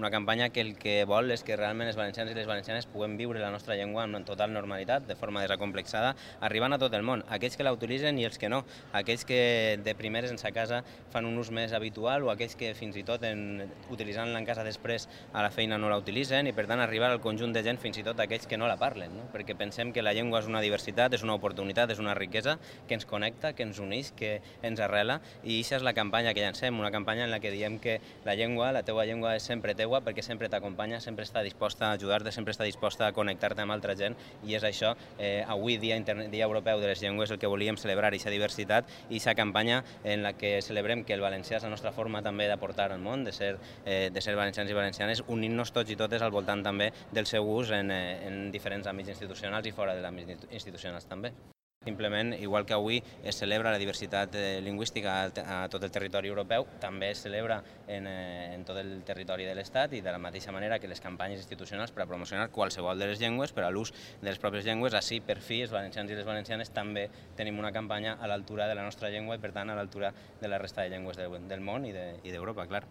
Una campanya que el que vol és que realment els valencians i les valencianes puguem viure la nostra llengua amb total normalitat, de forma desacomplexada, arribant a tot el món, aquells que la utilitzen i els que no, aquells que de primeres en sa casa fan un ús més habitual o aquells que fins i tot utilitzant-la en casa després a la feina no la utilitzen i per tant arribar al conjunt de gent, fins i tot aquells que no la parlen, no? Perquè pensem que la llengua és una diversitat, és una oportunitat, és una riquesa que ens connecta, que ens uneix, que ens arrela i això és la campanya que llancem, una campanya en la que diem que la llengua, la teua llengua és sempre teua perquè sempre t'acompanya, sempre està disposta a ajudar-te, sempre està disposta a connectar-te amb altra gent i és això, avui dia Europeu de les Llengües, el que volíem celebrar, aquesta diversitat i aquesta campanya en la que celebrem que el valencià és la nostra forma també d'aportar al món, de ser valencians i valencianes, unint-nos tots i totes al voltant també del seu ús en diferents àmbits institucionals i fora de l'àmbit institucionals també. Simplement, igual que avui es celebra la diversitat lingüística a tot el territori europeu, també es celebra en tot el territori de l'Estat i de la mateixa manera que les campanyes institucionals per a promocionar qualsevol de les llengües, per a l'ús de les pròpies llengües, així per fi els valencians i les valencianes també tenim una campanya a l'altura de la nostra llengua i per tant a l'altura de la resta de llengües del món i d'Europa, clar.